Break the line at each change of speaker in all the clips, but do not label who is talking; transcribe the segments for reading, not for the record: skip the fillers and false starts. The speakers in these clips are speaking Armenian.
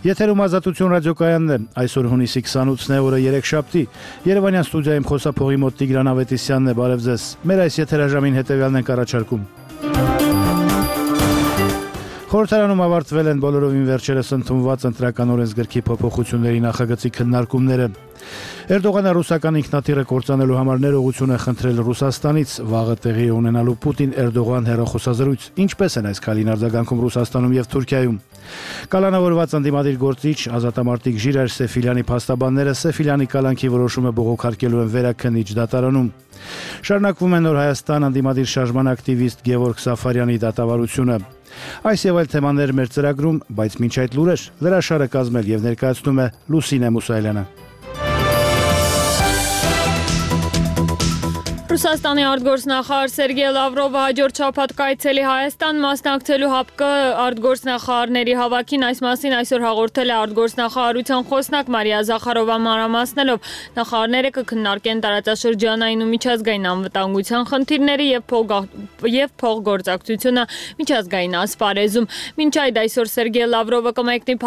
Եթերում Ազատություն ռադիոկայանն է, այսօր հունիսի 28-ն է, օրը երեքշաբթի, Երևանյան ստուդիայում խոսափողի մոտ Տիգրան Ավետիսյանն է, բարև ձեզ, մեր այս եթերաժամին հետևյալն ենք առաջարկում. Խորհրդարանում ավարտվել են բոլորովին վերջերս ընդունված ընտրական օրենսգրքի փոփոխությունների նախագծի քննարկումները։ Էրդողանը ռուսական ինքնաթիռը կործանելու համար ներողություն է խնդրել Ռուսաստանից, վաղը տեղի ունենալու Պուտին-Էրդողան հեռախոսազրույց, ինչպես են այս քայլին արձագանքում Ռուսաստանում եւ Թուրքիայում։ Կալանավորված ընդդիմադիր գործիչ ազատամարտիկ Ժիրայր Սեֆիլյանի փաստաբանները Սեֆիլյանի կալանքի որոշումը բողոքարկելու են վերաքննիչ դատարանում։ Շարունակվում է Նոր Հայաստան ընդդիմադիր շարժման ակտիվիստ Գևորգ Սաֆարյանի դատավարությունը։ Այս եւ այլ թեմաներ մեր ծրագրում, բայց մինչ այդ լուրեր լրաշարը կազմել եւ ներկայացնում է Լուսինե Մուսայելյանը։
Ռուսաստանի արտգործնախարար Սերգեյ Լավրովը հաջորդ շաբաթ կայցելի Հայաստան մասնակցելու ՀԱՊԿ արտգործնախարարների հավաքին, այս մասին այսօր հաղորդել է արտգործնախարարության խոսնակ Մարիա Զախարովան մանրամասնելով, նախարարները կքննարկեն տարածաշրջանային ու միջազգային անվտանգության խնդիրները եւ փոխգործակցությունը միջազգային ասպարեզում։ Մինչ այդ այսօր Սերգեյ Լավրովը կմեկնի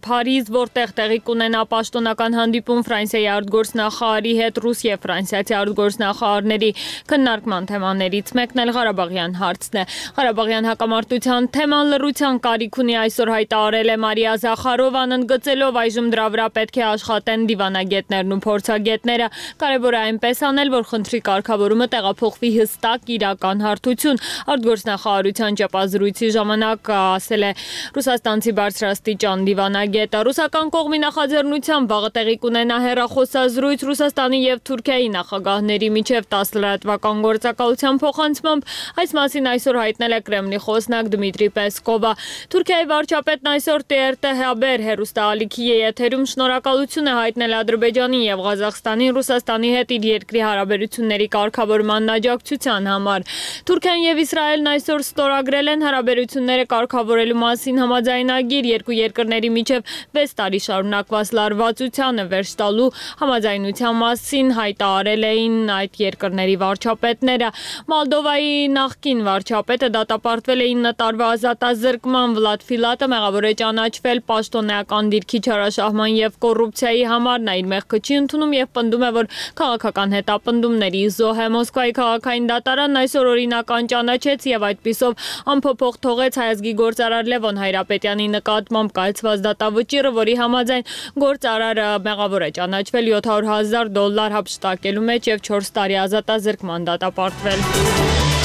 Փարիզ, որտեղ տեղի կունենա պաշտոնական հանդիպում Ֆրանսիայի արտգործնախարարի հետ, ռուս եւ ֆրանսիացի արտգործնախարարների քննարկման թեմաներից մեկն էլ Ղարաբաղյան հարցն է։ Ղարաբաղյան հակամարտության թեման լռության կարիք ունի, այսօր հայտարարել է Մարիա Զախարովան, ընդգծելով այժմ դրա վրա պետք է աշխատեն դիվանագետներն ու փորձագետները։ Կարևոր է այնպես անել, որ խնդրի կարգավորումը տեղափոխվի հստակ իրական հարթություն։ Արտգործնախարարության ճապազրույցի ժամանակ ասել է ռուսաստանցի բարձրաստիճան դիվանագետը։ Ռուսական կողմի նախաձեռնությամբ վաղը տեղի կունենա հեռախոսազրույց Ռուսաստանի եւ Թուրքիայի նախագահների միջև 10 լրատվական գործակալության փոխանցմամբ, այս մասին այսօր հայտնել է Կրեմլի խոսնակ Դմիտրի Պեսկովը։ Թուրքիայի վարչապետն այսօր TRT Haber հեռուստաալիքի եթերում շնորհակալություն է հայտնել Ադրբեջանին եւ Ղազախստանին Ռուսաստանի հետ իր երկրի հարաբերությունների կարգավորման աջակցության համար։ Թուրքիան եւ Իսրայելն այսօր ստորագրել են հարաբերությունները կարգավորելու մասին համաձայնագիր, երկու երկրների միջև 6 տարի շարունակված լարվածությանը վերջ տալու համաձայնության մասին հայտարարել էին այդ երկրների վարչապետները։ Մոլդովայի նախկին վարչապետը դատապարտվել է 9 տարվա ազատազրկման, Վլադ Ֆիլատը մեղավոր է ճանաչվել պաշտոնեական դիրքի չարաշահման եւ կոռուպցիայի համար, նա իր մեղքը չի ընդունում եւ պնդում է, որ քաղաքական հետապնդումների զոհ է։ Մոսկվայի քաղաքային դատարանն այսօր օրինական ճանաչեց եւ այդպիսով անփոփոխ թողեց հայազգի գործարար Լևոն Հայրապետյանի նկատմամբ կայացված դատավճիռը, որի համաձայն գործարարը մեղավոր է ճանաչվել $700,000 հափշտակելու մեջ եւ 4 տարի ազատազրկման դատապարտվել։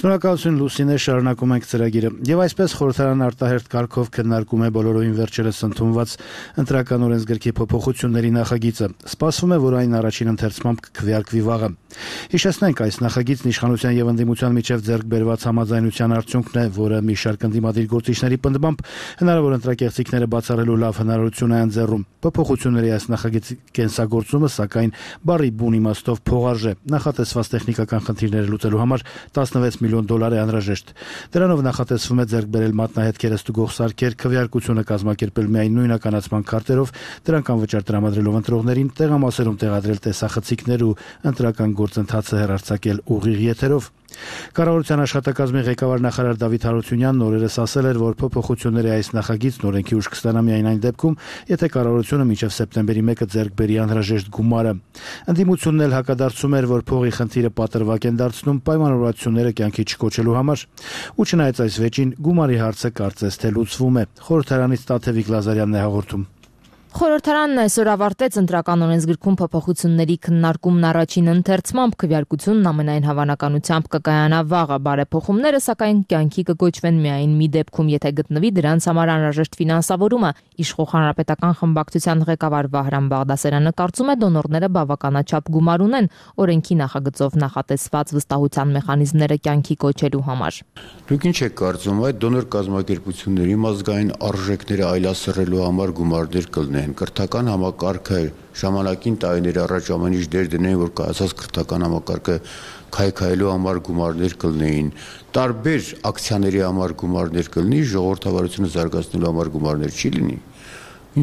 Շնորհակալություն Լուսինե, շարունակում ենք ծրագիրը։ Եվ այսպես խորհրդարան արտահերթ կարգով քննարկում է բոլորովին վերջերս ընդունված ընտրական օրենսգրքի փոփոխությունների նախագիծը։ Սպասվում է, որ այն առաջին ընթերցմամբ կքվեարկվի վաղը։ Հիշեցնենք, այս նախագիծն իշխանության եւ ընդդիմության միջև ձեռք բերված համաձայնության արդյունքն է, որը մի շարք ընդդիմադիր գործիչների պնդմամբ հնարավոր ընտրակեղծիքները բացառելու լավ հնարավորություն է ընձեռում։ Փոփոխությունների այս նախագծի կենսագործումը, սակայն, բառի բուն իմաստով փողարժ է։ Նախատեսված տեխնիկական խնդիրները լուծելու համար $16 միլիոն է անհրաժեշտ։ Դրանով նախատեսվում է ձեռք բերել մատնահետքերը ստուգող սարքեր, քվեարկությունը կազմակերպել միայն նույնականացման քարտերով, դրանք անվճար տրամադրելով ընտրողներին, տեղամասերում տեղադրել տեսախցիկներ ու ընտրական գործընթացը հեռարձակել ուղիղ եթերով։ Կառավարության աշխատակազմի ղեկավար նախարար Դավիթ Հարությունյանն օրերս ասել էր, որ փոփոխությունների այս նախագիծն օրենքի ուժ կստանա միայն այն դեպքում, եթե կառավարությունը մինչև սեպտեմբերի 1-ը ձեռք բերի անհրաժեշտ գումարը։ Ընդդիմությունն էլ հակադարձում էր, որ փողի խնդիրը պատրվակ են դարձնում պայմանավորվածությունները կյանքի չկոչելու համար։ Ու չնայած այս վեճին, գումարի հարցը կարծես թե լուծվում է։ Խորհրդարանից Տաթևիկ Լազարյանն է հաղորդում։
Խորհրդարանն այսօր ավարտեց ընտրական օրենսգրքում փոփոխությունների քննարկումն առաջին ընթերցմամբ, քվեարկությունն ամենայն հավանականությամբ կկայանա վաղը, բարեփոխումները սակայն կյանքի կգոչվեն միայն մի դեպքում, եթե գտնվի դրանց համար անհրաժեշտ ֆինանսավորումը։ Իշխող հանրապետական խմբակցության ղեկավար Վահրամ Բաղդասարյանը կարծում է, դոնորները բավականաչափ գումար ունեն օրենքի նախագծով նախատեսված վստահության մեխանիզմները կյանքի կոչելու համար։
Դուք ինչ եք կարծում, այդ դոնոր կազմակերպությունների ազգային արժեքները այլասերելու համար գումարներ կլինեն։ Կրթական համակարգը ժամանակին տարիներ առաջ ամեն ինչ դեր դնեն, որ կայացած կրթական համակարգը քայքայելու համար գումարներ կլինեին, տարբեր ակցիաների համար գումարներ կլինի, ժողովրդավարությունը զարգացնելու համար գումարներ չի լինի։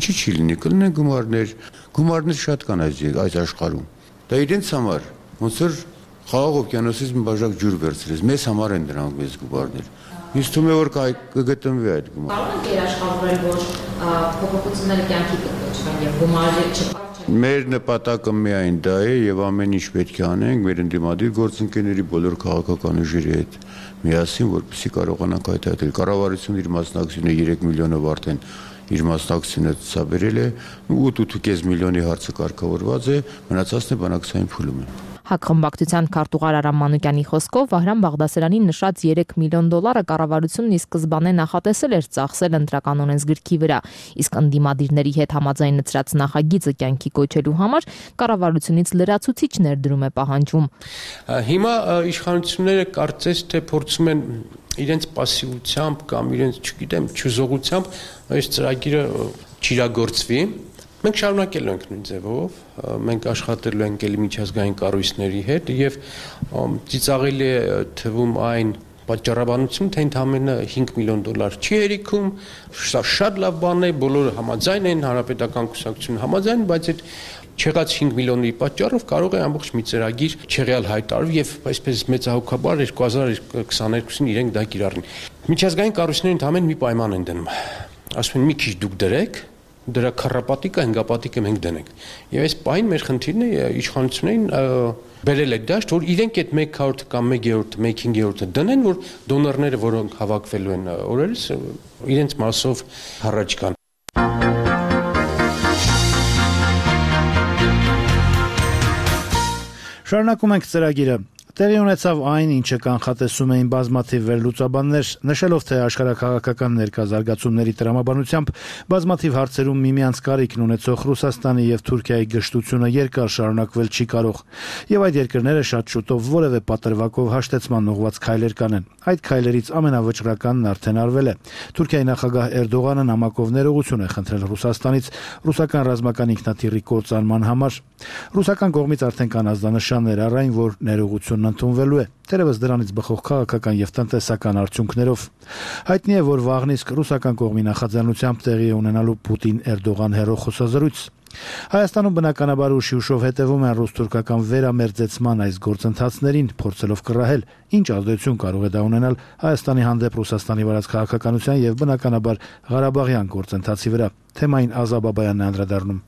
Ինչի չի լինի, կլինեն գումարներ շատ կան այս աշխարհում։ Դա իրենց համար ոնց որ Խաղաղ օվկիանոսից մի բաժակ ջուր վերցրեց։ Մեզ համար են դրանք մեծ գումարներ։ Ինձ թվում է որ կգտնվի այդ գումարը։
Կարող եք երաշխավորել, որ փոփոխությունները կյանքի կոչվեն եւ գումարը չփոխվի։
Մեր նպատակը միայն դա է եւ ամեն ինչ պետք է անենք մեր ընդդիմադիր գործընկերների բոլոր քաղաքական ուժերի հետ միասին, որպեսզի կարողանանք հայտարարել։ Կառավարությունը իր մասնակցությունը 3 միլիոնով արդեն իր մասնակցությունը ցաբերել է 8.5 միլիոնի հարցը կարգավորված է, մնացածն է բանակցային փուլում է։
Հակխմբակցության քարտուղար Արամ Մանուկյանի խոսքով Վահրամ Բաղդասարյանի նշած 3 միլիոն դոլարը կառավարությունն ի սկզբանե նախատեսել էր ծախսել ընտրական օրենսգրքի վրա, իսկ ընդդիմադիրների հետ համաձայնեցրած նախագիծը կյանքի կոչելու համար կառավարությունից լրացուցիչ ներդրում է պահանջվում։
Հիմա իշխանությունները կարծես թե փորձում են իրենց пассивությամբ կամ իրենց, չգիտեմ, չուզողությամբ այս ծրագիրը չիրագործվի։ Մենք շարունակելու ենք նույն ձևով, մենք աշխատելու ենք ելի միջազգային կառույցների հետ եւ ծիծաղելի է թվում այն պատճառաբանություն, թե ընդամենը 5 միլիոն դոլար չի հերիքում, սա շատ լավ բան է, բոլորը համաձայն են, հանրապետական կուսակցությունը համաձայն, բայց այդ չեղած 5 միլիոնի պատճառով կարող է ամբողջ մի ծրագիր չեղյալ հայտարարվել եւ այսպես մեծահոգաբար 2022-ին իրենք դա կիրառեն։ Միջազգային կառույցները ընդամենը մի պայման են դնում։ Ասում են մի քիչ դուք դրեք, դրա քառապատիկը, հնգապատիկը մենք դնենք։ Եվ այս պահին մեր խնդիրն է իշխանություններին բերել այդ դաշտ, որ իրենք այդ 1/4 կամ 1/3, 1/5 դնեն, որ դոնորները, որոնք հավաքվելու են օրերս, իրենց մասով հառաջ գան։
Շարունակում ենք ծրագիրը։ Տեղի ունեցավ այն, ինչը կանխատեսում էին բազմաթիվ վերլուծաբաններ, նշելով, թե աշխարհաքաղաքական ներկա զարգացումների տրամաբանությամբ բազմաթիվ հարցերում միմյանց կարիքն ունեցող Ռուսաստանի եւ Թուրքիայի գժտությունը երկար շարունակվել չի կարող, եւ այդ երկրները շատ շուտով որևէ պատրվակով հաշտեցման ուղղված քայլեր կանեն։ Այդ քայլերից ամենավճռականն արդեն արվել է։ Թուրքիայի նախագահ Էրդողանը նամակով ներողություն է խնդրել Ռուսաստանից ռուսական ռազմական ինքնաթիռի կործանման համար։ Ռուսական կողմից արդեն կան ազդանշաններ առ այն, որ ներողությունն ընդունվելու է, թերևս դրանից բխող քաղաքական եւ տնտեսական արդյունքներով։ Հայտնի է, որ վաղն իսկ ռուսական կողմի նախաձեռնությամբ տեղի է ունենալու Պուտին-Էրդողան հեռախոսազրույց։ Հայաստանում բնականաբար ուշիուշով հետևում են ռուս-թուրքական վերամերձեցման այս գործընթացներին, փորձելով կռահել, ինչ ազդեցություն կարող է դա ունենալ Հայաստանի հանդեպ Ռուսաստանի վարած քաղաքականության եւ բնականաբար Ղարաբաղյան գործընթացի վրա։ Թեմային Ազա Բաբայանն է անդրադառնում։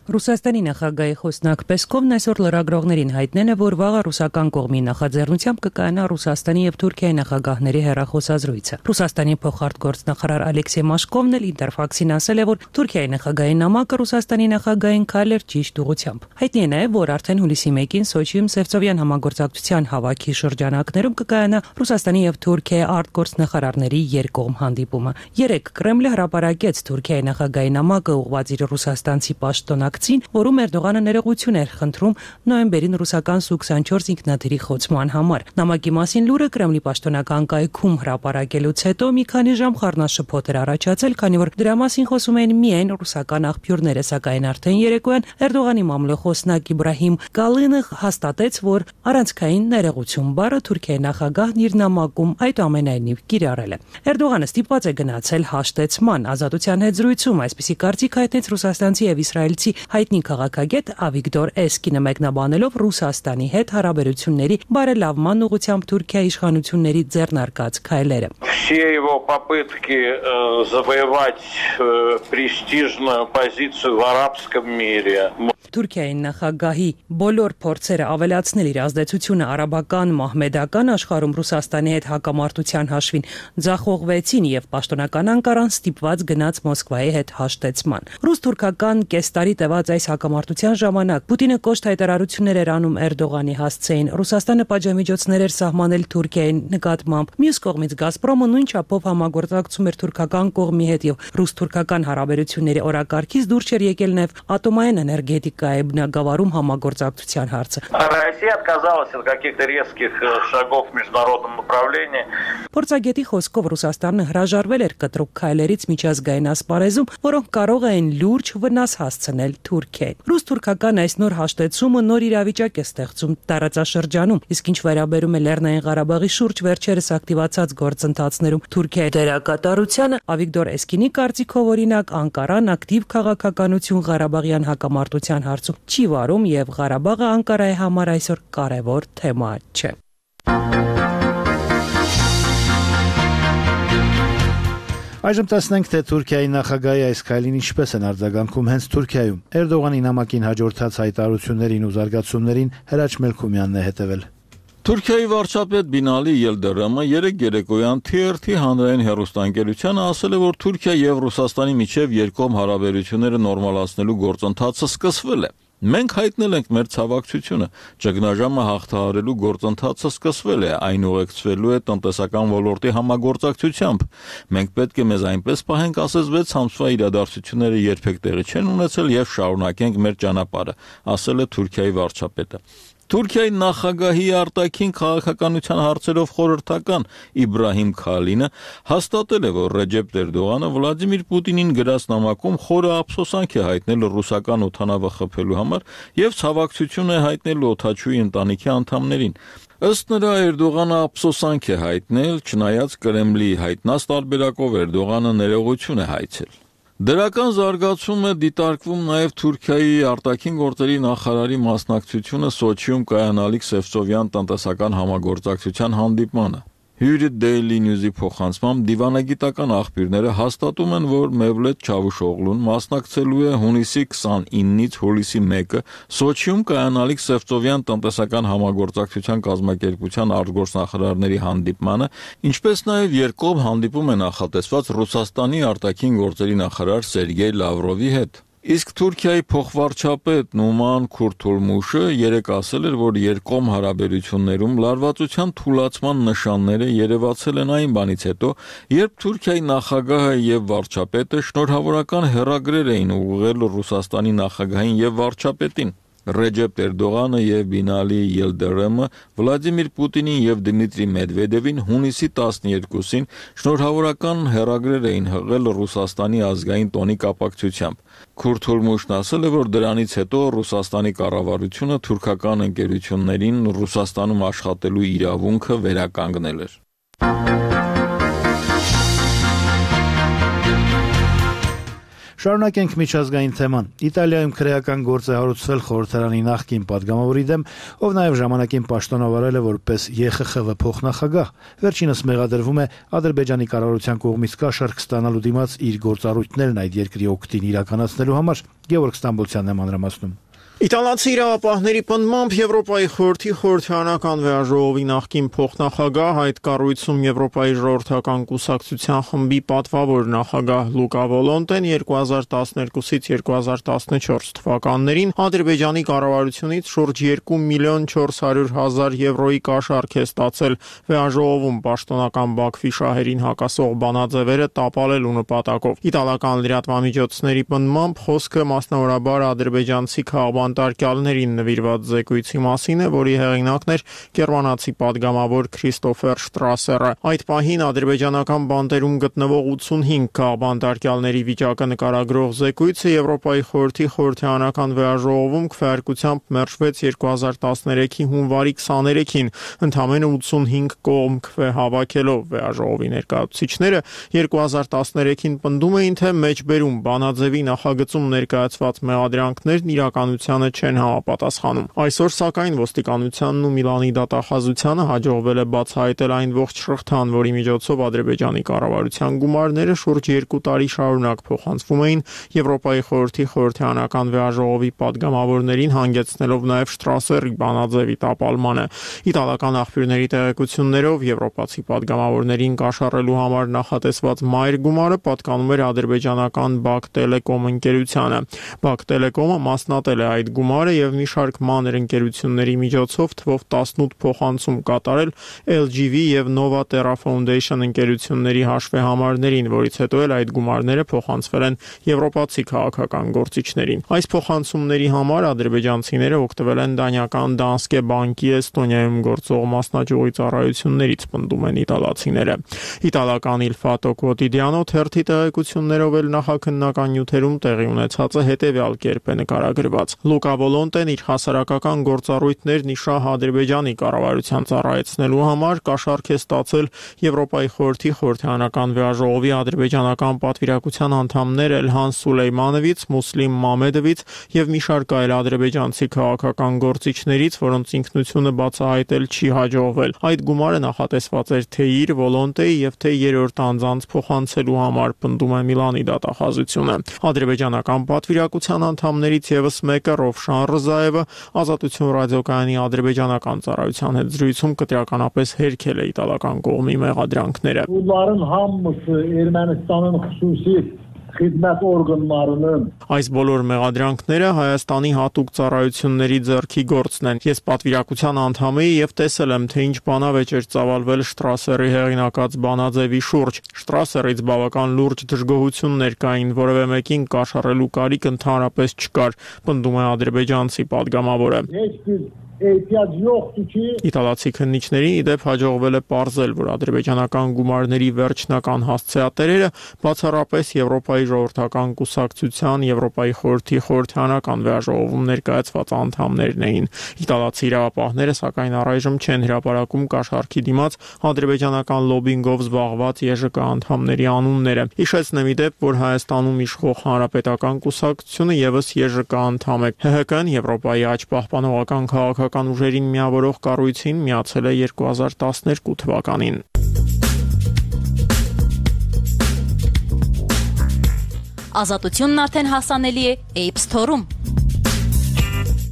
Ռուսաստանի նախագահի խոսնակ Պեսկովն այսօր լրագրողներին հայտնել է, որ վաղը ռուսական կողմի նախաձեռնությամբ կկայանա Ռուսաստանի եւ Թուրքիայի նախագահների հեռախոսազրույցը։ Ռուսաստանի փոխարտգործնախարար Ալեքսեյ Մաշկովն էլ Ինտերֆաքսին ասել է, որ Թուրքիայի նախագահի նամակը Ռուսաստանի նախագահին քայլ էր ճիշտ ուղղությամբ։ Հայտնի է նաեւ, որ արդեն հուլիսի 1-ին Սոչիում Սևծովյան համագործակցության հավաքի շրջանակներում կկայանա Ռուսաստանի եւ Թուրքիայի արտգործնախարարների երկկողմ հանդիպումը։ Երեկ Կրեմլը հրապարակեց Թուրքիայի նախագահի նամակը ուղղված իր ռուսաստանցի պաշտոնակ որում Էրդողանը ներողություն էր խնդրում նոյեմբերին ռուսական Սու-24 ինքնաթիռի խոցման համար։ Նամակի մասին լուրը Կրեմլի պաշտոնական կայքում հրապարակելուց հետո մի քանի ժամ խառնաշփոթ էր առաջացել, քանի որ դրա մասին խոսում էին միայն ռուսական աղբյուրները, սակայն արդեն երեկոյան Էրդողանի մամլոխոսնակ Իբրահիմ Կալինը հաստատեց, որ առանցքային ներողություն բառը Թուրքիայի նախագահն իր նամակում այդուամենայնիվ կիրառել է։ Էրդողանը ստիպված է գնացել հաշտեցման ազատության հետ զրույցում, այսպիսի կարծիք հայտնեց ռուսաստանցի եւ իսրայելցի հայտնի քաղաքագետ Ավիգդոր Էսկինը մեկնաբանելով Ռուսաստանի հետ հարաբերությունների բարելավման ուղղությամբ Թուրքիայի իշխանությունների ձեռնարկած քայլերը։
Все его попытки завоевать престижную позицию в арабском мире.
Թուրքիայի նախագահի բոլոր փորձերը ավելացնել իր ազդեցությունը արաբական մահմեդական աշխարհում Ռուսաստանի հետ հակամարտության հաշվին ձախողվեցին եւ պաշտոնական Անկարան ստիպված գնաց Մոսկվայի հետ հաշտեցման։ Ռուս-թուրքական կեստարի տևած այս հակամարտության ժամանակ Պուտինը կոշտ հայտարարություններ էր անում Էրդողանի հասցեին։ Ռուսաստանը պատժամիջոցներ էր սահմանել Թուրքիայի նկատմամբ։ Մյուս կողմից Գազպրոմը նույն չափով համագործակցում էր թուրքական կողմի հետ եւ ռուս-թուրքական հարաբերությունների օրակարգից դուրս էր եկել նաեւ ատոմային էներգետիկայի բնագավառում համագործակցության հարցը։
Россия отказалась от каких-то резких шагов в международном направлении.
Փորձագետի խոսքով Ռուսաստանը հրաժարվել էր կտրուկ քայլերից միջազգային ասպարեզում, որոնք կարող էին լուրջ վնաս հասցնել Թուրքիային։ Ռուս-թուրքական այս նոր հաշտեցումը նոր իրավիճակ է ստեղծում տարածաշրջանում, իսկ ինչ վերաբերում է Լեռնային Ղարաբաղի շուրջ վերջերս ակտիվացած գործընթացներում Թուրքիայի դերակատարությանը, Ավիգդոր Էսկինի կարծիքով օրինակ Անկարան ակտիվ քաղաքականություն Ղարաբաղյան հակամարտության հարցում չի վարում եւ Ղարաբաղը Անկարայի համար այսօր կարևոր թեմա չէ։
Այժմ տեսնենք, թե Թուրքիայի նախագահի այս քայլին ինչպես են արձագանքում հենց Թուրքիայում։ Էրդողանի նամակին հաջորդած հայտարարություններին ու զարգացումներին Հրաչ Մելքումյանն է հետևել։
Թուրքիայի վարչապետ Բինալի Ելդերեմը երեկ երեկոյան TRT հանրային հեռուստաընկերությանը ասել է, որ Թուրքիա եւ Ռուսաստանի միջև երկկողմ հարաբերությունները նորմալացնելու գործընթացը սկսվել է։ Մենք հայտնել ենք մեր ցավակցությունը, ճգնաժամը հաղթահարելու գործընթացը սկսվել է, այն ուղեկցվելու է տնտեսական ոլորտի համագործակցությամբ։ Մենք պետք է մեզ այնպես պահենք, ասես 6 ամսվա իրադարձությունները երբեք տեղի չեն ունեցել եւ շարունակենք մեր ճանապարհը, ասել է Թուրքիայի վարչապետը։ Թուրքիայի նախագահի արտաքին քաղաքականության հարցերով խորհրդական Իբրահիմ Քալինը հաստատել է, որ Ռեջեփ Էրդողանը Վլադիմիր Պուտինին գրած նամակում խորը ափսոսանք է հայտնել ռուսական օդանավը խփելու համար եւ ցավակցություն է հայտնել օդաչուի ընտանիքի անդամներին։ Ըստ նրա Էրդողանը ափսոսանք է հայտնել, չնայած Կրեմլի հայտնած տարբերակով Էրդողանը ներողություն է հայցել։ Դրական զարգացում է դիտարկվում նաև Թուրքիայի արտաքին գործերի նախարարի մասնակցությունը Սոչիում կայանալիք Սևծովյան տնտեսական համագործակցության հանդիպմանը։ Հյուրի Daily News-ի փոխանցմամբ դիվանագիտական աղբյուրները հաստատում են, որ Մևլեթ Չավուշօղլուն մասնակցելու է հունիսի 29-ից հուլիսի 1-ը Սոչիում կայանալիք Սևծովյան տնտեսական համագործակցության կազմակերպության արտգործնախարարների հանդիպմանը, ինչպես նաև երկկողմ հանդիպում է նախատեսված Ռուսաստանի արտաքին գործերի նախարար Սերգեյ Լավրովի հետ։ Իսկ Թուրքիայի փոխվարչապետ Նուման Քուրթուլմուշը երեկ ասել էր, որ երկկողմ հարաբերություններում լարվածության թուլացման նշանները երևացել են այն բանից հետո, երբ Թուրքիայի նախագահը եւ վարչապետը շնորհավորական հեռագրեր էին ուղղել Ռուսաստանի նախագահին եւ վարչապետին։ Ռեջեփ Էրդողանը եւ Բինալի Ելդերեմը Վլադիմիր Պուտինին եւ Դմիտրի Մեդվեդևին հունիսի 12-ին շնորհավորական հեռագրեր էին հղել Ռուսաստանի ազգային տոնի կապակցությամբ։ Քուրթուլմուշն ասել է, որ դրանից հետո Ռուսաստանի կառավարությունը թուրքական ընկերություններին Ռուսաստանում աշխատելու իրավունքը վերականգնել էր։
Շարունակենք միջազգային թեման։ Իտալիայում քրեական գործ է հարուցվել խորհրդարանի նախկին падգամավորի դեմ, ով նաև ժամանակին պաշտոնավարել է որպես ԵԽԽՎ փոխնախագահ։ Վերջինս մեղադրվում է Ադրբեջանի կառավարության կողմից կաշառք ստանալու դիմաց իր գործառույթներն այդ երկրի օգտին իրականացնելու համար։ Գևորգ Ստամբոլցյանն է մանրամասնում։
Իտալացի իրավապահների պնդմամբ Եվրոպայի խորհրդի խորհրդարանական վեաժողովի նախկին փոխնախագահ այդ կառույցում Եվրոպայի ժողովրդական կուսակցության խմբի պատվավոր նախագահ Լուկա Վոլոնտեն 2012-ից 2014 թվականներին Ադրբեջանի կառավարությունից շուրջ 2.400.000 եվրոյի կաշառք է ստացել վեաժողովում պաշտոնական Բաքվի շահերին հակասող բանաձևերը տապալելու նպատակով։ Իտալական լրատվամիջոցների պնդմամբ խոսքը մասնավորաբար ադրբեջանցի քաղաքապետարներին նվիրված զեկույցի մասին է, որի հեղինակն էր գերմանացի падգամավոր Քրիստոֆեր Շտրասերը։ Այդ պահին ադրբեջանական բանտերում գտնվող 85 քաղաքապետարների վիճակը նկարագրող զեկույցը Եվրոպայի խորհրդի խորհրդարանական վեաժողովում քվեարկությամբ մերժվեց 2013-ի հունվարի 23-ին, ընդամենը 85 կողմ քվե հավաքելով։ Վեաժողովի ներկայացուցիչները 2013-ին պնդում էին, թե մեջբերում բանաձևի նախագծում ներկայացված մեղադրանքներն իրականությանը չեն համապատասխանում։ Այսօր սակայն ոստիկանությանն ու Միլանի դատախազությանը հաջողվել է բացահայտել այն ողջ շղթան, որի միջոցով Ադրբեջանի կառավարության գումարները շուրջ 2 տարի շարունակ փոխանցվում էին Եվրոպայի խորհրդի խորհրդարանական վեաժողովի падգամավորներին, հանգեցնելով նաև Շտրասերի բանաձևի տապալմանը։ Իտալական աղբյուրների տեղեկություններով եվրոպացի падգամավորներին կաշառելու համար նախատեսված մայր գումարը պատկանում էր ադրբեջանական Բաքտելեկոմ ընկերությանը։ Բաքտելեկոմը մասնատել է այդ այդ գումարը եւ մի շարք մանր ընկերությունների միջոցով թվով 18 փոխանցում կատարել LGV եւ Nova Terra Foundation ընկերությունների հաշվեհամարներին, որից հետո էլ այդ գումարները փոխանցվել են եվրոպացի քաղաքական գործիչներին։ Այս փոխանցումների համար ադրբեջանցիները օգտվել են դանիական Danske Bank-ի Էստոնիայում գործող մասնաճյուղի ծառայություններից, պնդում են իտալացիները։ Իտալական Il Fatto Quotidiano թերթի տեղեկություններով էլ նախաքննական նյութերում տեղի ունեցածը հետևյալ կերպ է նկարագրված։ Լուկա Վոլոնտեն իր հասարակական գործառույթներն իշահ Ադրբեջանի կառավարության ծառայեցնելու համար կաշառք է ստացել Եվրոպայի խորհրդի խորհրդարանական վեաժողովի ադրբեջանական պատվիրակության անդամներ Էլհան Սուլեյմանովից, Մուսլիմ Մամեդովից եւ մի շարք այլ ադրբեջանցի քաղաքական գործիչներից, որոնց ինքնությունը բացահայտել չի հաջողվել։ Այդ գումարը նախատեսված էր թե իր Վոլոնտեի եւ թե երրորդ անձանց փոխանցելու համար, պնդում է Միլանի դատախազությունը։ Ադրբեջանական պատվիրակության անդամներից եւս մեկը Ռովշան Ռզաևը Ազատություն ռադիոկայանի ադրբեջանական ծառայության հետ զրույցում կտրականապես հերքել է իտալական կողմի մեղադրանքները։
Bunların hamısı Ermənistanın xüsusi xidmət orqanlarının
Այս բոլոր մեղադրանքները Հայաստանի հատուկ ծառայությունների ձեռքի գործն են։ Ես պատվիրակության անդամ եի եւ տեսել եմ, թե ինչ բանավեճ էր ծավալվել Շտրասերի հեղինակած բանաձևի շուրջ։ Շտրասերից բավական լուրջ դժգոհություններ կային, որևէ մեկին կաշառելու կարիք ընդհանրապես չկար, պնդում է ադրբեջանցի падգամավորը։ Իտալացի քննիչներին իդեպ հաջողվել է պարզել, որ ադրբեջանական գումարների վերջնական հասցեատերերը բացառապես Եվրոպայի ժողովրդական կուսակցության, Եվրոպայի խորհրդի խորհրդարանական վեաժողովում ներկայացված անդամներն էին։ Իտալացի իրավապահները սակայն առայժմ չեն հրապարակում կաշառքի դիմաց ադրբեջանական լոբինգով զբաղված ԵԺԿ անդամների անունները։ Հիշեցնեմ իդեպ, որ Հայաստանում իշխող հանրապետական կուսակցությունը եւս ԵԺԿ անդամ է։ ՀՀԿ-ն Եվրոպայի աճ պահպանողական քաղաքական ուժերին միավորող կառույցին միացել է 2012 թվականին։
Ազատությունն արդեն հասանելի է App Store-ում։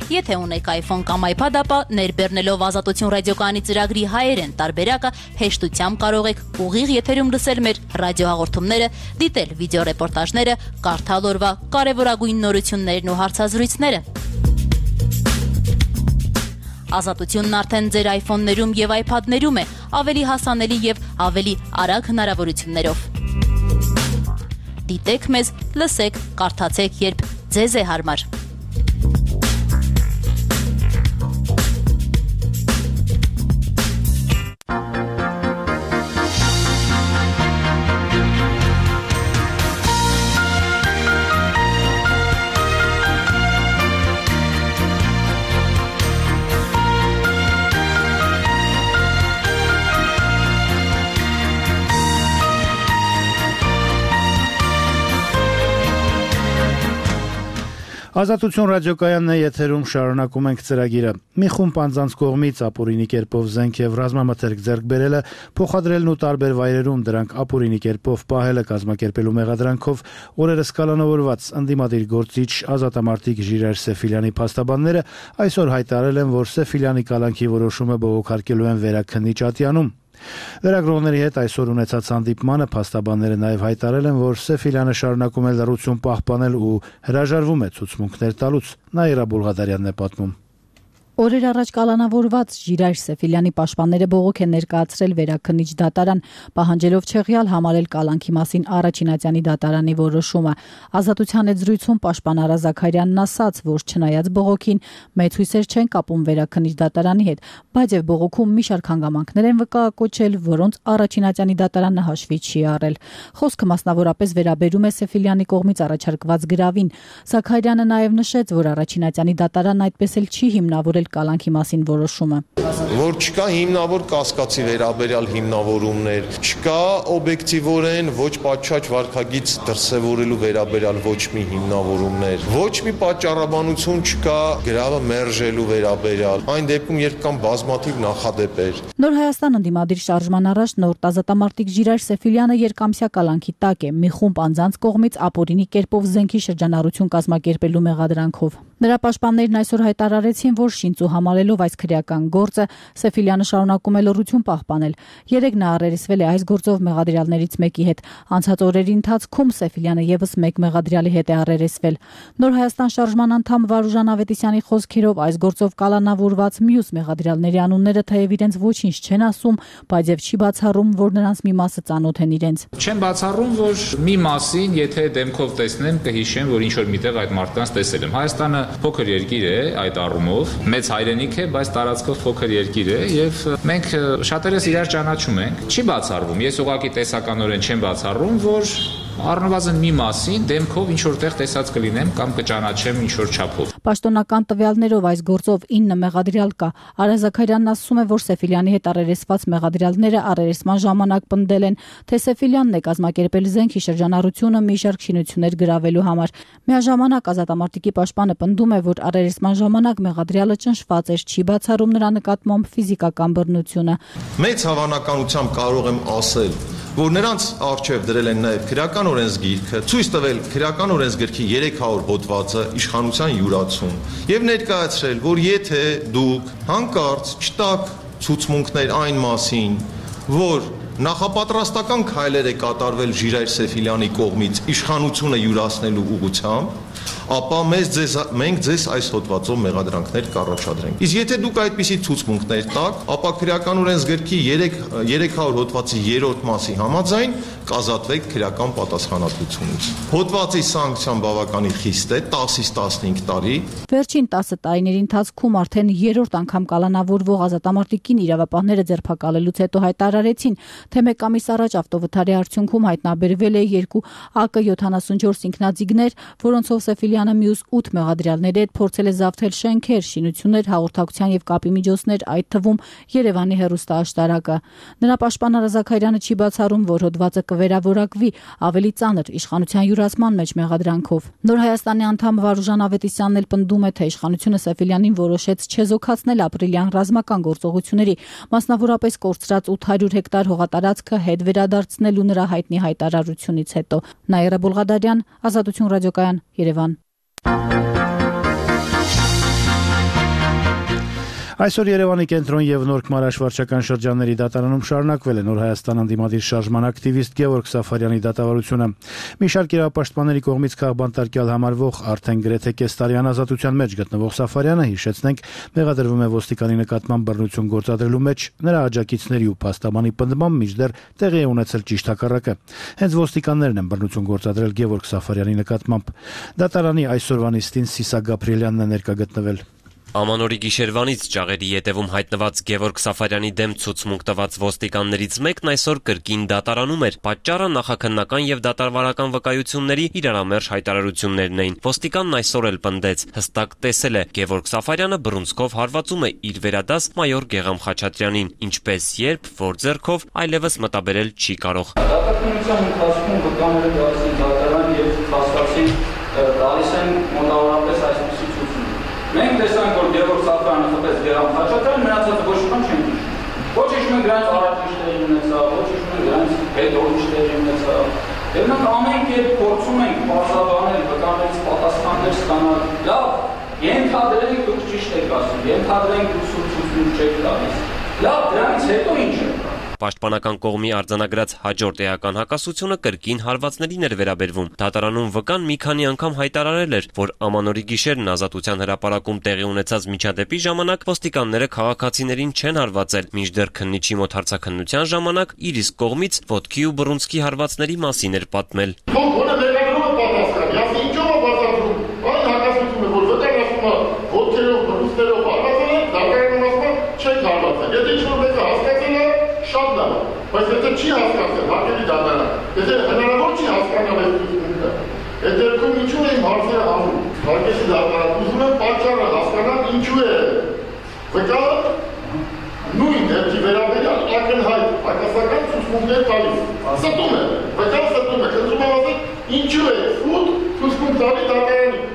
Եթե ունեք iPhone կամ iPad, ապա ներբեռնելով Ազատություն ռադիոկայանի ծրագրի հայերեն տարբերակը հեշտությամբ կարող եք ուղիղ եթերում լսել մեր ռադիոհաղորդումները, դիտել վիդեոռեպորտաժները, կարդալ օրվա կարևորագույն նորություններն ու հարցազրույցները։ Ազատությունն արդեն ձեր iPhone-ներում եւ iPad-ներում է, ավելի հասանելի եւ ավելի արագ հնարավորություններով։ Դիտեք մեզ, լսեք, կարդացեք, երբ ձեզ է հարմար։
Ազատություն ռադիոկայանն է եթերում, շարունակում ենք ծրագիրը։ Մի խումբ անձանց կողմից ապօրինի կերպով զենք եւ ռազմամթերք ձեռք բերելը, փոխադրելն ու տարբեր վայրերում դրանք ապօրինի կերպով պահելը կազմակերպելու մեղադրանքով օրերս կալանավորված ընդդիմադիր գործիչ ազատամարտիկ Ժիրայր Սեֆիլյանի փաստաբանները այսօր հայտարարել են, որ Սեֆիլյանի կալանքի որոշումը բողոքարկելու են վերաքննիչ ատյանում։ Լրագրողների հետ այսօր ունեցած հանդիպմանը փաստաբանները նաև հայտարարել են, որ Սեֆիլյանը շարունակում է լռություն պահպանել ու հրաժարվում է ցուցմունքներ տալուց։ Նաիրա Բուլղադարյանն է պատմում։
Օրեր առաջ կալանավորված Ժիրայր Սեֆիլյանի պաշտպանները բողոք են ներկայացրել վերաքննիչ դատարան, պահանջելով չեղյալ համարել կալանքի մասին Առաջինատյանի դատարանի որոշումը։ Ազատության հետ զրույցում պաշտպան Արա Զաքարյանն ասաց, որ չնայած բողոքին մեծ հույսեր չեն կապում վերաքննիչ դատարանի հետ, բայց եւ բողոքում մի շարք հանգամանքներ են վկայակոչել, որոնց Առաջինատյանի դատարանը հաշվի չի առել։ Խոսքը մասնավորապես վերաբերում է Սեֆիլյանի կողմից առաջարկված գրավին։ Զաքարյանը նաեւ նշեց, որ Առաջինատյանի դատարանն այդպես էլ չի հիմնավորել կալանքի մասին որոշումը։
Որ չկա հիմնավոր կասկածի վերաբերյալ հիմնավորումներ, չկա օբյեկտիվորեն ոչ պատշաճ վարքագիծ դրսևորելու վերաբերյալ ոչ մի հիմնավորումներ, ոչ մի պատճառաբանություն չկա գրավը մերժելու վերաբերյալ, այն դեպքում երբ կան բազմաթիվ նախադեպեր։ Նոր
Հայաստան ընդդիմադիր շարժման առաջնորդ ազատամարտիկ Ժիրայր Սեֆիլյանը երկամսյա կալանքի տակ է մի խումբ անձանց կողմից ապօրինի կերպով զենքի շրջանառություն կազմակերպելու մեղադրանքով։ Նրա պաշտպաններն այսօր հայտարարեցին, որ շինծու համալելով այս քրեական գործը Սեֆիլյանը շարունակում է լռություն պահպանել։ Երեկ նա առերեսվել է այս գործով մեղադրյալներից մեկի հետ։ Անցած օրերի ընթացքում Սեֆիլյանը եւս մեկ մեղադրյալի հետ է առերեսվել։ Նոր Հայաստան շարժման անդամ Վարուժան Ավետիսյանի խոսքերով այս գործով կալանավորված մյուս մեղադրյալների անունները թեև իրենց ոչինչ չեն ասում, բայց եւ չի բացառում, որ նրանց մի մասը ծանոթ են իրենց։
Չեմ բացառում, որ մի մասին, եթե դեմքով տեսնեմ, կհիշեմ, որ ինչ որ միտեղ այդ մարդկանց տեսել եմ։ Հայաստանը փոքր երկիր է այդ առումով, մեծ հայրենիք է, բայց տարածքով փոքր երկիր է եւ մենք շատերս իրար ճանաչում ենք։ Չի բացառվում, ես ուղղակի տեսականորեն չեմ բացառում, որ առնվազն մի մասին դեմքով ինչ որտեղ տեսած կլինեմ կամ կճանաչեմ ինչ որ չափով։
Պաշտոնական տվյալներով այս գործով 9 մեղադրյալ կա։ Արա Զաքարյանն ասում է, որ Սեֆիլյանի հետ առերեսված մեղադրյալները առերեսման ժամանակ պնդել են, թե Սեֆիլյանն է կազմակերպել զենքի շրջանառությունը մի շարք շինություններ գրավելու համար։ Միաժամանակ ազատամարտիկի պաշտպանը պնդում է, որ առերեսման ժամանակ մեղադրյալը ճնշված էր, չի բացառում նրա նկատմամբ ֆիզիկական բռնությունը։
Մեծ հավանականությամբ կարող եմ ասել, որ նրանց առջև դրել են նաև քրեական օրենսգիրքը, ցույց տվել քրեական օրենսգրքի 300 հոդվածը իշխանության յուրացում եւ ներկայացրել, որ եթե դուք հանկարծ չտաք ցուցմունքներ այն մասին, որ նախապատրաստական քայլեր է կատարվել Ժիրայր Սեֆիլյանի կողմից իշխանությունը յուրացնելու ուղղությամբ, ապա մենք ձեզ այս հոդվածով մեղադրանքներ կառաջադրենք։ Իսկ եթե դուք այդպիսի ցուցմունքներ տաք, ապա քրեական օրենսգրքի 300 հոդվածի 3-րդ մասի համաձայն կազատվեք քրեական պատասխանատվությունից։ Հոդվածի սանկցիան բավականին խիստ է, 10-ից 15 տարի։
Վերջին 10 տարիների ընթացքում արդեն 3-րդ անգամ կալանավորվող ազատամարտիկին իրավապահները ձերբակալելուց հետո հայտարարեցին, թե մեկ ամիս առաջ ավտովթարի արդյունքում հայտնաբերվել է 2 AK-74 ինքնաձիգներ, որոնցով Սեֆիլյանը մյուս 8 մեղադրյալների հետ փորձել է զավթել շենքեր, շինություններ, հաղորդակցության եւ կապի միջոցներ, այդ թվում Երևանի հեռուստաաշտարակը։ Նրա պաշտպան Արա Զաքարյանը չի բացառում, որ հոդվածը կվերավորակվի ավելի ծանր իշխանության յուրացման մեջ մեղադրանքով։ Նոր Հայաստանի անդամ Վարուժան Ավետիսյանն էլ պնդում է, թե իշխանությունը Սեֆիլյանին որոշեց չեզոքացնել ապրիլյան ռազմական գործողությունների, մասնավորապես կորցրած 800 հեկտար հողատարածքը հետ վերադարձնելու նրա հայտնի հայտարարությունից հետո։ Նաիրա Բոլղադարյան, Ազատություն ռադիոկայան, Երևան։
Այսօր Երևանի կենտրոն եւ Նորք Մարաշ վարչական շրջանների դատարանում շարունակվել է Նոր Հայաստան անդիմադիր շարժման ակտիվիստ Գևորգ Սաֆարյանի դատավարությունը։ Մի շարք իրավապաշտպանների կողմից քաղբանտարկյալ համարվող արդեն գրեթե կես տարի ազատության մեջ գտնվող Սաֆարյանը, հիշեցնենք, մեղադրվում է ոստիկանի նկատմամբ բռնություն գործադրելու մեջ, նրա աջակիցների ու փաստաբանի պնդմամբ մինչդեռ տեղի է ունեցել ճիշտ հակառակը։ Հենց ոստիկաններն են բռնություն գործադրել Գևորգ Սաֆարյանի նկատմամբ։ Դատարանի այսօրվա նիստին Սիսակ Գաբրիելյանն է ներկա գտնվել։
Ամանորի գիշերվանից ճաղերի ետևում հայտնված Գևորգ Սաֆարյանի դեմ ցուցմունք տված ոստիկաններից մեկն այսօր կրկին դատարանում էր։ Պատճառը նախաքննական եւ դատարվարական վկայությունների իրարամերժ հայտարարություններն էին։ Ոստիկանն այսօր էլ պնդեց, հստակ տեսել է, Գևորգ Սաֆարյանը բռունցքով հարվածում է իր վերադաս մայոր Գեգամ Խաչատրյանին, ինչպես երբ, որ ձեռքով այլևս մտաբերել չի կարող։
Դատախազության ընթացքում վկաները դարձին դատարան եւ փաստացի տալիս են մոտավորապես այսպիսի ցուցում։ Մենք տեսանք, որ Գևորգ Սաֆարյանը խփեց Գեգամ Խաչատրյանին, մնացածը ոչ ոք չեն հիշում։ Ոչ հիշում են դրանց առաջնիշների ունեցավ, ոչ հիշում են դրանց հետո ուրիշների ունեցավ։ Եվ մենք ամեն կերպ փորձում ենք բացաբանել, վկաներից պատասխաններ ստանալ։ Լավ, ենթադրենք դուք ճիշտ եք ասում, ենթադրենք դուք ցույց չեք տալիս։ Լավ, դրանից հետո ինչ է։
Պաշտպանական կողմի արձանագրած հաջորդ էական հակասությունը կրկին հարվածներին էր վերաբերվում։ Դատարանում վկան մի քանի անգամ հայտարարել էր, որ Ամանորի գիշերն Ազատության հրապարակում տեղի ունեցած միջադեպի ժամանակ ոստիկանները քաղաքացիներին չեն հարվածել, մինչդեռ քննիչի մոտ հարցաքննության ժամանակ իր իսկ կողմից ոտքի ու բռունցքի հարվածների մասին էր պատմել։
Բայց եթե չի հասկացել, հարկելի դատարան, եթե հնարավոր չի հասկանալ այս դեպքը, այդ դեպքում ինչու է իմ հարցերը հանում, հարկելի դատարան, ուզում եմ պատճառը հասկանալ ինչու է, վկայը նույն դեպքի վերաբերյալ ակնհայտ հակասական ցուցմունքներ տալիս, ստում է, վկայը ստում է, խնդրում եմ ասել ինչու է սուտ ցուցմունք տալի դատարանի։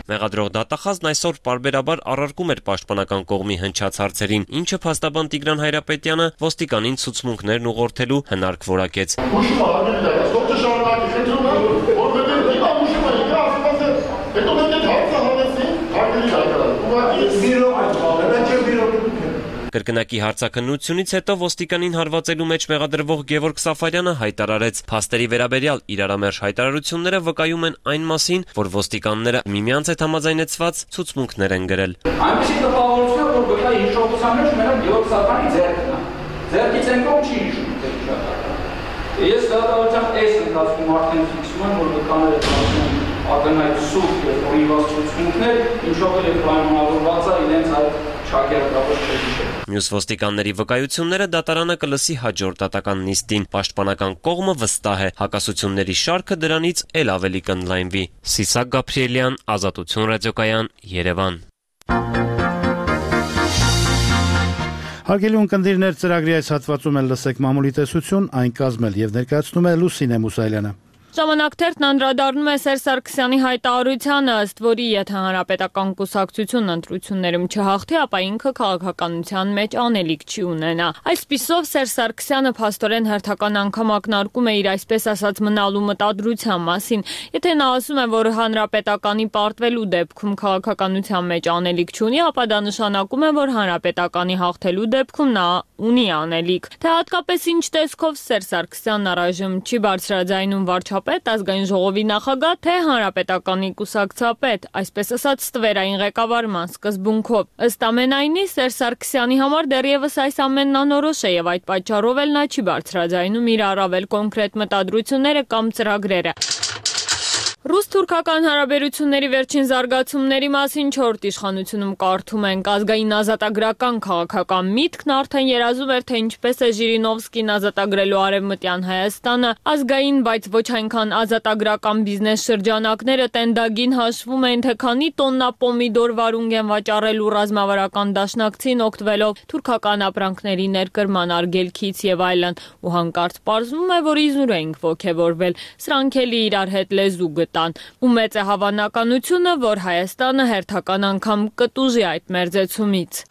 Մեղադրող դատախազն այսօր պարբերաբար առարկում էր պաշտպանական կողմի հնչած հարցերին, ինչը փաստաբան Տիգրան Հայրապետյանը ոստիկանին ցուցմունքներն ուղղորդելու հնարք որակեց։
Ուշում արգելի դատախազ, ո՞ր շարունակի, խնդրում եմ, որովհետև հիմա ուշում է, ասում ասել, հետո մենք այդ հարցը հանեցին,
Կրկնակի հարցաքննությունից հետո ոստիկանին հարվածելու մեջ մեղադրվող Գևորգ Սաֆարյանը հայտարարեց. փաստերի վերաբերյալ իրարամերժ հայտարարությունները վկայում են այն մասին, որ ոստիկանները միմյանց հետ համաձայնեցված ցուցմունքներ են գրել։
Այնպեսի տպավորություն, որ վկայի հիշողության մեջ մենակ Գևորգ Սաֆարյանի ձեռքն է։ Ձեռքից են կողմ չի հիշում Ես դատավարության այս ընթացքում արդեն ֆիքսում եմ, որ վկաները դարձնում ակնհայտ սուտ և օրինված ցուցմունքներ, ինչով էլ պայմանավորված է իրենց այդ չակերտավոր չհիշել։
Մյուս ոստիկանների վկայությունները դատարանը կլսի հաջորդ դատական նիստին։ Պաշտպանական կողմը վստահ է, հակասությունների շարքը դրանից էլ ավելի կընդլայնվի։ Սիսակ Գաբրիելյան, Ազատություն ռադիոկայան, Երևան։
Հարգելի ունկնդիրներ, ծրագրի այս հատվածում էլ լսեք մամուլի տեսություն, այն կազմել եւ ներկայացնում է Լուսինե Մուսայելյանը։
Ժամանակթերթն անդրադառնում է Սերժ Սարգսյանի հայտարարությանը, ըստ որի եթե հանրապետական կուսակցությունն ընտրություններում չհաղթի, ապա ինքը քաղաքականության մեջ անելիք չի ունենա։ Այսպիսով Սերժ Սարգսյանը փաստորեն հերթական անգամ ակնարկում է իր այսպես ասած մնալու մտադրության մասին։ Եթե նա ասում է, որ հանրապետականի պարտվելու դեպքում քաղաքականության մեջ անելիք չունի, ապա դա նշանակում է, որ հանրապետականի հաղթելու դեպքում նա ունի անելիք։ Թե հատկապես ինչ տեսքով Սերժ Սարգսյանն առայժմ չի բարձրաձայնում վարչապետ, ազգային ժողովի նախագահ, թե հանրապետականի կուսակցապետ, այսպես ասած ստվերային ղեկավարման սկզբունքով։ Ըստ ամենայնի Սերժ Սարգսյանի համար դեռևս այս ամենն անորոշ է եւ այդ պատճառով էլ նա չի բարձրաձայնում իր առավել կոնկրետ մտադրությունները կամ ծրագրերը։ Ռուս-թուրքական հարաբերությունների վերջին զարգացումների մասին 4 իշխանությունում կարդում ենք ազգային ազատագրական քաղաքական միտքն արդեն երազում էր, թե ինչպես է Ժիրինովսկին ազատագրելու արևմտյան Հայաստանը, ազգային, բայց ոչ այնքան ազատագրական բիզնես շրջանակները տենդագին հաշվում են, թե քանի տոննա պոմիդոր վարունգ են վաճառելու ռազմավարական դաշնակցին օգտվելով թուրքական ապրանքների ներկրման արգելքից եւ այլն, ու հանկարծ պարզվում է, որ իզուր էինք ոգևորվել, սրանք էլի իրար հետ լեզու ու մեծ է հավանականությունը, որ Հայաստանը հերթական անգամ կտուժի այդ մերձեցումից։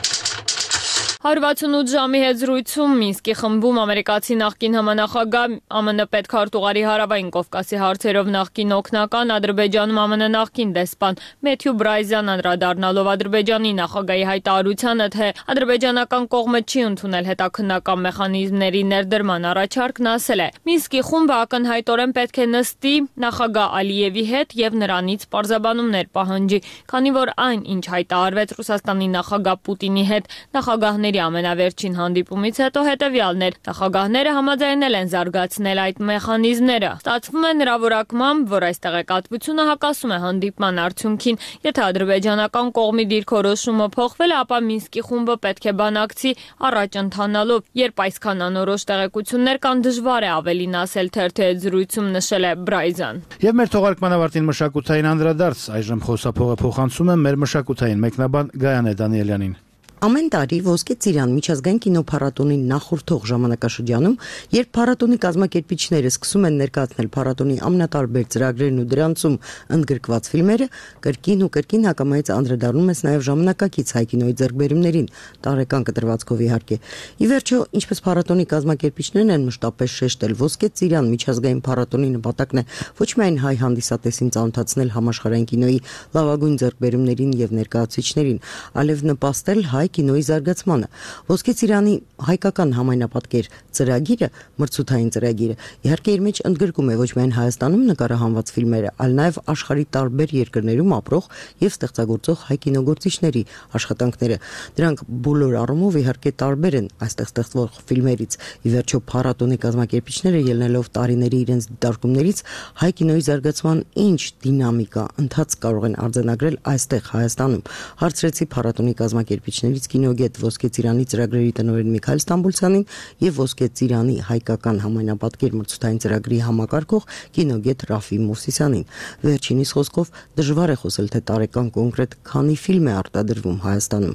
168 ժամի հետ զրույցում Մինսկի խմբում ամերիկացի նախկին համանախագահ ԱՄՆ պետքարտուղարի Հարավային Կովկասի հարցերով նախկին օգնական Ադրբեջանում ԱՄՆ նախկին դեսպան Մեթյու Բրայզյան անդրադառնալով Ադրբեջանի նախագահի հայտարարությանը, թե ադրբեջանական կողմը չի ընդունել հետաքննական մեխանիզմների ներդրման առաջարկն, ասել է. Մինսկի խումբը ակնհայտորեն պետք է նստի նախագահ Ալիևի հետ եւ նրանից պարզաբանումներ պահանջի, քանի որ այն, ինչ հայտարարվեց Ռուսաստանի նախագահ Պուտինի հետ նախագահների ամենավերջին հանդիպումից հետո հետևյալն էր. նախագահները համաձայնել են զարգացնել այդ մեխանիզմները։ Ստացվում է նրա որակմամբ, որ այս տեղեկատվությունը հակասում է հանդիպման արդյունքին։ Եթե ադրբեջանական կողմի դիրքորոշումը փոխվել է, ապա Մինսկի խումբը պետք է բանակցի առաջ ընթանալով։ Երբ այսքան անորոշ տեղեկություններ կան, դժվար է ավելին ասել, թերթի հետ զրույցում նշել է Բրայզան։
Եվ մեր թողարկման ավարտին մշակութային անդրադարձ, այժմ խոսափողը փոխանցում եմ մեր մշակութային մեկնաբան Գայանե Դանիելյանին։
Ամեն տարի Ոսկե ծիրան միջազգային կինոփառատոնի նախորդող ժամանակաշրջանում, երբ փառատոնի կազմակերպիչները սկսում են ներկայացնել փառատոնի ամենատարբեր ծրագրերն ու դրանցում ընդգրկված ֆիլմերը, կրկին ու կրկին հակամայից անդրադառնում ես նաև ժամանակակից հայ կինոյի ձեռքբերումներին, տարեկան կտրվածքով իհարկե։ Ի վերջո, ինչպես փառատոնի կազմակերպիչներն են մշտապես շեշտել, Ոսկե ծիրան միջազգային փառատոնի նպատակն է ոչ միայն հայ հանդիսատեսին ծանոթացնել համաշխարհային կինոյի լավագույն ձեռքբերումներին եւ ներկայացուցիչներին, այլև նպաստել հայ կինոյի զարգացմանը։ Ոսկե ծիրանի հայկական համայնապատկեր ծրագիրը, մրցութային ծրագիրը, իհարկե իր մեջ ընդգրկում է ոչ միայն Հայաստանում նկարահանված ֆիլմերը, այլ նաև աշխարհի տարբեր երկրներում ապրող եւ ստեղծագործող հայ կինոգործիչների աշխատանքները։ Դրանք բոլոր առումով իհարկե տարբեր են այստեղ ստեղծվող ֆիլմերից։ Ի վերջո փառատոնի կազմակերպիչները ելնելով տարիների իրենց դիտարկումներից հայ կինոյի զարգացման ինչ դինամիկա, ընթացք կարող են արձանագրել այստեղ Հայաստանում։ Հարցրեցի փառատոնի կազմակերպիչներից կինոգետ Ոսկե ծիրանի ծրագրերի տնօրեն Միքայել Ստամբուլցյանին եւ Ոսկե ծիրանի հայկական համայնապատկեր մրցութային ծրագրի համակարգող կինոգետ Ռաֆի Մովսիսյանին։ Վերջինիս խոսքով դժվար է խոսել, թե տարեկան կոնկրետ քանի ֆիլմ է արտադրվում Հայաստանում։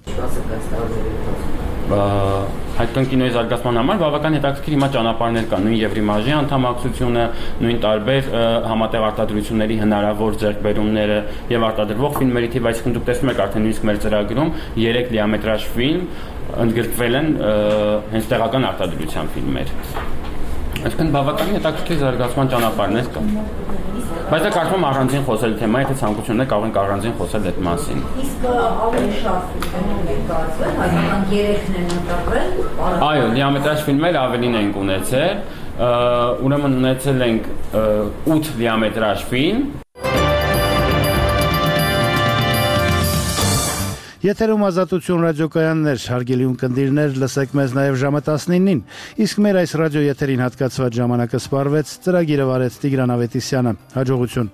Հայկական կինոյի զարգացման համար բավական հետաքրքիր հիմա ճանապարհներ կան, նույն Եվրիմաժի անդամակցությունը, նույն տարբեր համատեղ արտադրությունների հնարավոր ձեռքբերումները եւ արտադրվող ֆիլմերի թիվ, այսինքն դուք տեսնում եք արդեն նույնիսկ մեր ծրագրում 3 լիամետրաժ ֆիլմ ընդգրկվել են հենց տեղական արտադրության ֆիլմեր։ Այսինքն բավականին հետաքրքիր զարգացման ճանապարհներ կա։ Բայց դա կարծում առանձին խոսել թեմա, եթե ցանկություններ կարող ենք առանձին խոսել այդ մասին։
Իսկ ավելի շատ ֆիլմեր կայացվել, հայկական 3-ն են ընտրվել։
Այո, դիամետրաժ ֆիլմեր ավելին ենք ունեցել, ուրեմն ունեցել ենք 8 դիամետրաժ ֆիլմ։
Եթերում Ազատություն ռադիոկայաններ, հարգելի ունկնդիրներ, լսեք մեզ նաև ժամը 19-ին, իսկ մեր այս ռադիո եթերին հատկացված ժամանակը սպառվեց, ծրագիրը վարեց Տիգրան Ավետիսյանը, հաջողություն։